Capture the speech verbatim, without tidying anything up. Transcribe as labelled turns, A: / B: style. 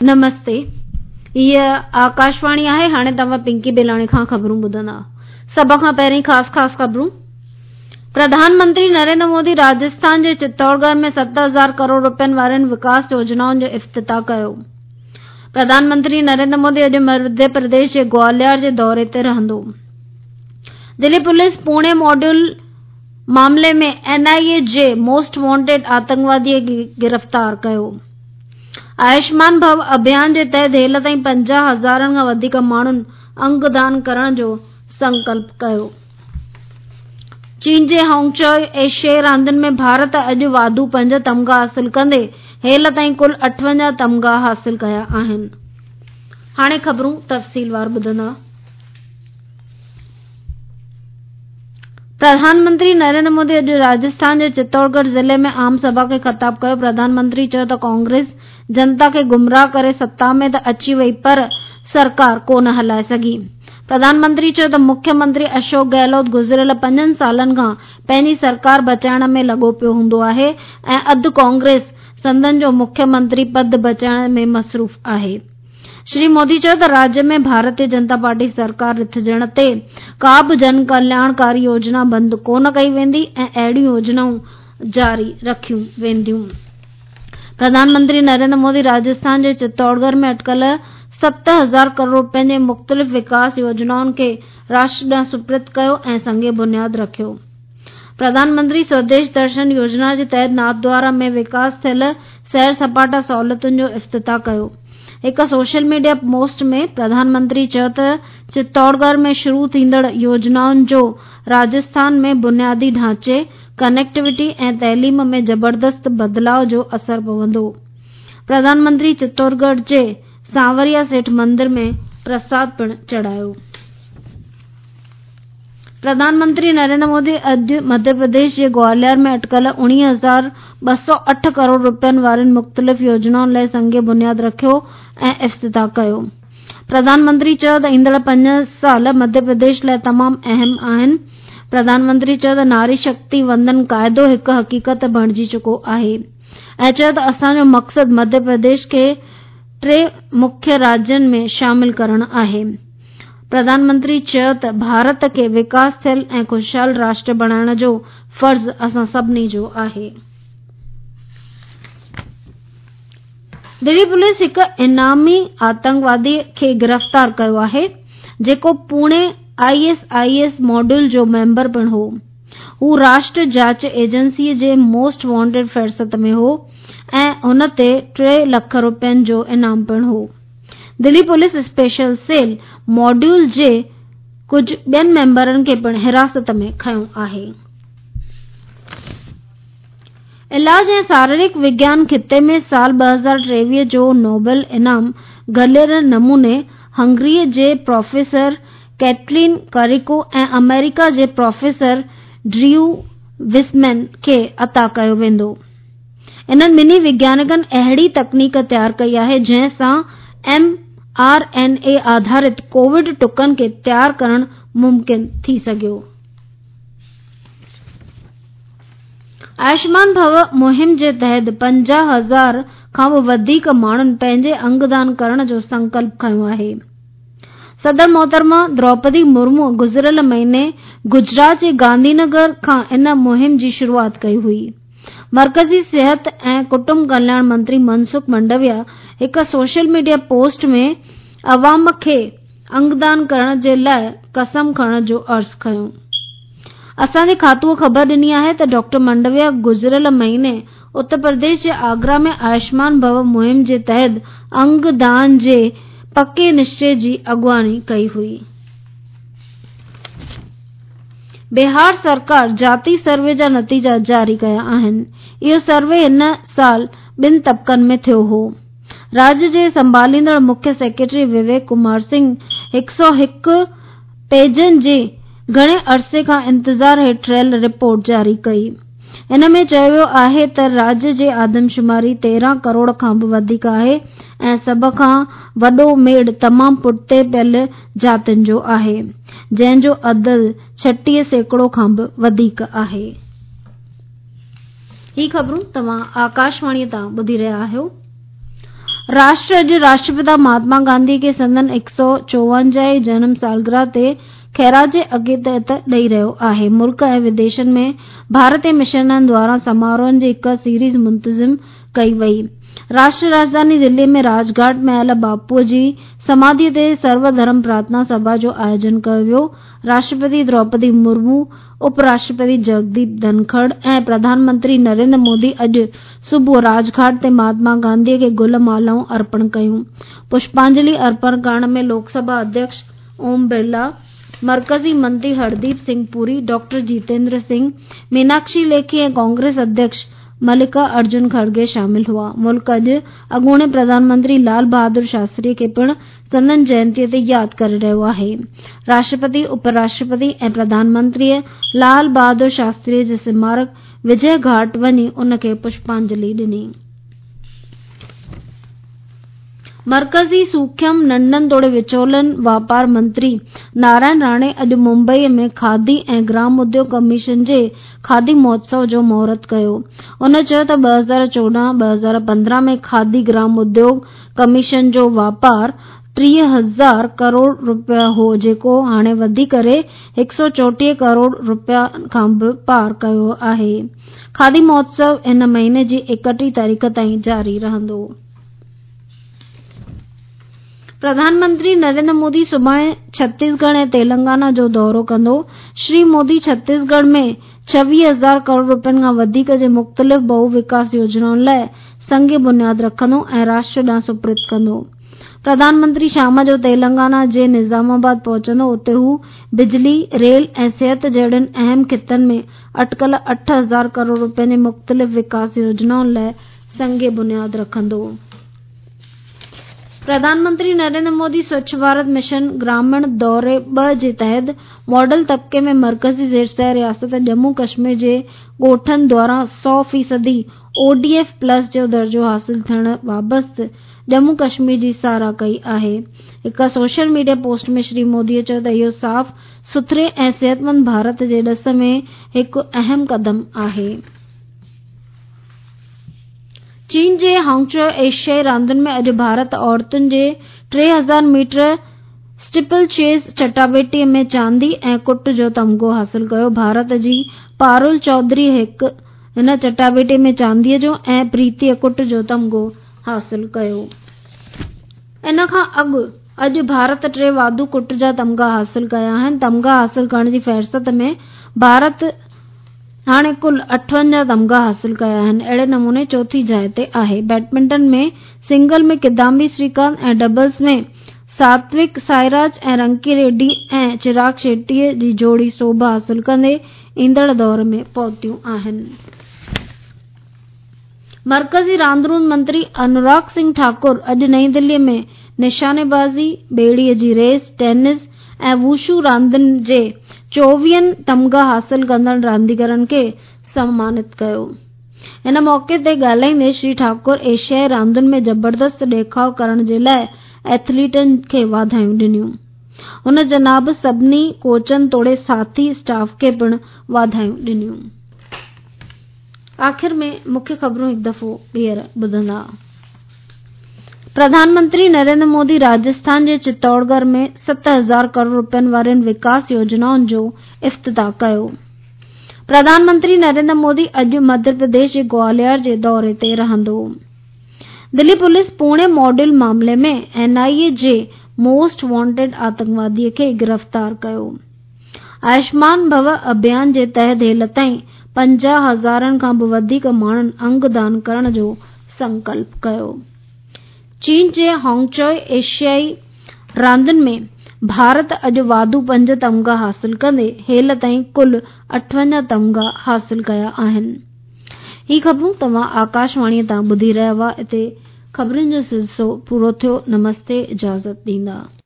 A: نمستي، هيء آڪاشواڻي آهي. هاڻي توهان پنڪي بيلاڻي کان خبرون ٻڌندا. سڀ کان پهرين خاص خاص خبرون. پرڌان منتري نريندر مودي راجسٿان جي چتورڳڙهه ۾ ست هزار ڪروڙ روپين وارين وڪاس يوجنائن جو افتتاح ڪيو. پرڌان منتري نريندر مودي اڄ مڌيه پرديش جي گواليار جي دوري تي رهندو. دلي پوليس پوڻي ماڊيول معاملي ۾ اين آء اي جي موسٽ وانٽيڊ آتنڪوادي کي گرفتار ڪيو. آيوشمان ڀو اڀيان جي تحت هيل تائين پنجاهه هزارن کان وڌيڪ ماڻهن انگ دان ڪرڻ جو سنڪلپ ڪيو. چين جي هانگچوء ايشيائي راندين ۾ ڀارت اڄ واڌو پنج تمغا حاصل ڪندي هيل تائين ڪل اٺونجاهه تمغا حاصل ڪيا آهن. هاڻي خبرون تفصيلوار ٻڌندا. پرڌان منتري نريندر مودي اڄ راجسٿان جي چتورڳڙهه ضلعي ۾ عام سڀا کي خطاب ڪيو. پرڌان منتري چيو ته ڪانگريس جنتا کي گمراهه ڪري ستا ۾ ته اچي وئي پر سرڪار ڪو نه هلائي سگهي. پرڌان منتري چيو ته مکيه منتري اشوڪ گهلوت گذريل پنجن سالن کان پنهنجي سرڪار بچائڻ ۾ لڳو پيو هوندو آهي ۽ اڌ ڪانگريس سندن جو مکيه منتري پد بچائڻ ۾ مصروف آهي. شري مودي چيو ته راجيه ۾ ڀارتيه جنتا پارٽي سرڪار رٿجڻ تي ڪا به جن ڪلياڻڪاري يوجنا بند ڪونه ڪئي ويندي ۽ اهڙيون يوجنائون جاري رکيون وينديون. پرڌان منتري نريندر مودي راجسٿان جي چتورڳڙهه ۾ اٽڪل ست هزار ڪروڙ روپين جي مختلف وڪاس يوجنائن کي راشٽر ڏانهن سپرد ڪيو ۽ سنگ بنياد رکيو. پرڌان منتري سوديش درشن يوجنا جي تحت ناٿدوارا ۾ وڪاس ٿيل سير سپاٽا سهولتن جو افتتاح ڪيو. هڪ social media post ۾ Pradhan Mantri چيو ته چتورڳڙهه ۾ شروع ٿيندڙ يوجنائن جو راجسٿان ۾ بنيادي ڍانچي، ڪنيڪٽيوٽي ۽ تعليم ۾ زبردست بدلاء جو اثر پوندو. پرڌان منتري چتورڳڙهه جي سانوريا سيٺ مندر ۾ پرساد پڻ چڙهايو. پرڌان منتري نريندر مودي اڄ مڌيه پرديش جي گواليار ۾ اٽڪل اڻويهه هزار ٻه سؤ اٺ ڪروڙ روپين وارين مختلف يوجنائن لاء سنگ بنياد رکيو ۽ افتتاح ڪيو. پرڌان منتري چيو ته ايندڙ پنج سال مڌيه پرديش لاء تمام اهم آهن. پرڌان منتري چيو ته ناري شڪتي وندن قاعدو هڪ حقيقت بڻجي چڪو آهي ۽ چيو ته اسان جو مقصد مڌيه پرديش کي ٽي مکيه راجين ۾ شامل ڪرڻ آهي. پرڌان منتري چيو ته ڀارت کي وڪاس ٿيل ۽ خوشحال راشٽر بڻائڻ جو فرض اسان سڀني جو آهي. دلي پوليس هڪ انعامي آتنڪوادي کي گرفتار ڪيو آهي، جيڪو Pune I S I S module جو ميمبر پڻ هو. هو راشٽر جاچ ايجنسي جي موسٽ وانٽيڊ فهرست ۾ هو ۽ هن تي ٽي لک روپين جو انعام پڻ هو. دلي پوليس اسپيشل سيل ماڊيول جي ڪجهه ٻين ميمبرن کي پڻ حراست ۾ کنيو آهي. علاج ۽ شاريرڪ وگيان خطي ۾ سال ٻه هزار ٽيويهه جو نوبل انعام گلير نموني هنگري جي پروفيسر ڪيٽلين ڪاريڪو ۽ آمريڪا جي پروفيسر ڊريو وسمين کي عطا ڪيو ويندو. انهن ٻنهي وگيانڪن اهڙي تڪنيڪ تيار ڪئي آهي جنهن سان ايم آر اين اي آڌارت ڪووڊ ٽڪن کي تيار ڪرڻ ممڪن ٿي سگهيو. آيوشمان ڀو مهم جي تحت پنجاهه هزار کان به وڌيڪ ماڻهن پنهنجي انگ دان ڪرڻ جو سنڪلپ کنيو آهي. صدر محترمه دروپدي مرمو گذريل مهيني گجرات جي گانڌي نگر کان ان مهم جي شروعات ڪئي هئي. مرڪزي صحت ۽ ڪٽنب ڪلياڻ منتري منسک منڊويا هڪ سوشل ميڊيا پوسٽ ۾ عوام کي انگدان ڪرڻ جي لاء قسم کڻڻ جو عرض ڪيو. اسان جي کاتوء خبر ڏني آهي ته ڊاڪٽر منڊويا گذريل مهيني اتر پرديش جي آگرا ۾ آيوشمان ڀو مهم جي تحت انگ دان جي پڪي نشچي جي اڳواڻي ڪئي هئي. بهار سرڪار جاتي سروي جا نتيجا جاري ڪيا آهن. اهو سروي هن سال ٻن طبقن ۾ ٿيو هو. راجيه جي سنڀاليندڙ مکيه سيڪريٽري وويڪ ڪمار سنگهه هڪ سؤ هڪ پيجن جي گهڻي عرصي کان انتظار هيٺ رهيل رپورٽ جاري ڪئي. ان ۾ چيو ويو آهي ته راجيه جي آدمشماري تيرهن ڪروڙ کان به وڌيڪ آهي ۽ سڀ کان وڏو ميڙ تمام پٺتي پيل جاتين جو آهي، جنهن جو عدد ڇٽيهه سيڪڙو کان به وڌيڪ آهي. هي خبرون توهان آڪاشواڻي تان ٻڌي رهيا آهيو. راشٽر اڄ راشٽرپتا مهاتما گانڌي کي سندن هڪ سؤ چوونجاهه جنم سالگرهه تي خراج عقيدت ڏئي رهيو آهي. ملڪ ۽ وديشن ۾ ڀارتي مشنن دواران سماروهن جي هڪ سيريز منتظم ڪئي وئي. راشٽر راڄڌاني دلي ۾ راج گهاٽ ۾ آيل باپوء جي سماڌي تي سرو ڌرم پرارٿنا سڀا جو آيوجن ڪيو ويو. راشٽرپتي دروپدي مرمو، اپ راشٽرپتي جگديپ ڌنکڙ ۽ پرڌان منتري نريندر مودي اڄ صبح راج گهاٽ تي مهاتما گانڌي کي گل مالائون ارپڻ ڪيون. پشپانجلي ارپڻ ڪرڻ ۾ لوڪ سڀا اڌيڪش اوم برلا، مرڪزي منتري هرديپ سنگهه پوري، ڊاڪٽر جتيندر سنگهه، ميناڪشي ليکي ۽ ڪانگريس اڌيڪش ملڪا ارجن کڙگي شامل هئا. ملڪ اڄ اڳوڻي پرڌان منتري لال بهادر شاستري کي پڻ سندن جينتي تي ياد ڪري رهيو آهي. راشٽرپتي، اپ راشٽرپتي ۽ پرڌان منتري لال بهادر شاستري جي سمارڪ وجي گهاٽ وڃي ان کي پشپانجلي ڏني. مرڪزي سوکيم، ننڍن توڙي وچولن واپار منتري نارائڻ راڻي اڄ ممبئي ۾ کادي ۽ گرام اديوگ ڪميشن جي کادي مهوتسو جو مهورت ڪيو. هن چيو ته ٻه هزار چوڏهن ٻه هزار پندرهن ۾ کادي گرام اديوگ ڪميشن جو واپار ٽيهه هزار ڪروڙ رپيا هو، جيڪو هاڻي وڌي ڪري هڪ سؤ چوٽيهه ڪروڙ رپيا کان به پار ڪيو آهي. کادي مهوتسو هن مهيني جي ايڪٽيهه تاريخ تائين جاري رهندو. پرڌان منتري نريندر مودي سڀاڻي ڇتيسڳڙهه ۽ تيلنگانا جو دورو ڪندو. شري مودي ڇتيسڳڙهه ۾ ڇويهه هزار ڪروڙ رپين کان وڌيڪ جي مختلف بهو وڪاس يوجنائن لاءِ سنگ بنياد رکندو ۽ راشٽر ڏانهن سپرد ڪندو. پرڌان منتري شام جو تيلنگانا جي نظام آباد پهچندو، اتي هو بجلي، ريل ۽ صحت جهڙن اهم خطن ۾ اٽڪل اٺ هزار ڪروڙ رپين جي مختلف وڪاس يوجنائن لاءِ سنگ بنياد رکندو. پرڌان منتري نريندر مودي سوڇ ڀارت مشن گراميڻ دوري ٻه جي تحت ماڊل طبقي ۾ مرڪزي زير رياست ڄمون ڪشمير جي ڳوٺن دواران سؤ فيصدي او ڊي ايف پلس جو درجو حاصل ٿيڻ بابت ڄمون ڪشمير جي ساراهه ڪئي آهي. هڪ social media post ۾ Shri Modi چيو ته اهو صاف سٿري ۽ صحتمند ڀارت جي ڏس ۾ هڪ اهم قدم آهي. چين جي هانگچو ايشيائي راندن ۾ اڄ ڀارت عورتن جي ٽي هزار ميٽر اسٽيپل چيز چٽاڀيٽي ۾ چاندي ۽ ڪٽ جو تمغو حاصل ڪيو. ڀارت جي پارول چوڌري هڪ هن چٽاڀيٽي ۾ چانديءَ جو ۽ پريتي ڪٽ جو تمغو حاصل ڪيو. ان کان اڳ اڄ ڀارت ٽي واڌو ڪٽ جا تمغا حاصل ڪيا آهن. تمغا حاصل ڪرڻ جي فهرست ۾ ڀارت هاڻي ڪل اٺونجاهه تمغا حاصل ڪيا آهن، اهڙي نموني چوٿين جاءِ تي آهي. Badminton ۾ single ۾ Kidambi Srikanth ۽ doubles ۾ Satwik Sairaj ۽ Rankireddy ۽ Chirag Shetty جي جوڙي سوڀ حاصل ڪندي ايندڙ دور ۾ پهتيون آهن. مرڪزي راند روند منتري انوراگ سنگهه ٺاڪر اڄ نئين دلي ۾ نشانيبازي، ٻيڙيءَ جي ريس، ٽينس ۽ ووشو راندن جي چوويهن تمغا حاصل ڪندڙ رانديگرن کي سمانت ڪيو. هن موقعي تي ڳالهائيندي شري ٺاڪر ايشيائي راندن ۾ زبردست ڏيکاءُ ڪرڻ جي لاءِ ايٿليٽن کي واڌايون ڏنيون. هن جناب سڀني ڪوچن توڙي ساٿي اسٽاف کي پڻ واڌايون ڏنيون. آخر ۾ مکيه خبرون هڪ دفعو ٻيهر ٻڌندا. پرڌان منتري نريندر مودي راجسٿان جي چتوڙڳڙهه ۾ ست هزار ڪروڙ رپين وارين وڪاس يوجنائن جو افتتاح ڪيو. پرڌان منتري نريندر مودي اڄ مڌيه پرديش جي گواليار جي دوري تي رهندو. دلي پوليس پوڻي ماڊل معاملي ۾ اين آءِ اي جي موسٽ وانٽيڊ آتنڪوادي کي گرفتار ڪيو. آيوشمان ڀو اڀيان جي تحت هيل تائين پنجاهه هزارن کان به وڌيڪ ماڻهن انگ دان ڪرڻ جو سنڪلپ ڪيو. چين جي هانگچو ايشيائي راندن ۾ ڀارت اڄ واڌو پنج تمغا حاصل ڪندي هيل تائين ڪل اٺونجاهه تمغا حاصل ڪيا آهن. هي خبرون توهان آڪاشواڻيءَ تان ٻڌي رهيا هئا. هتي خبرن جو سلسلو پورو ٿيو. نمستي، اجازت ڏيندا.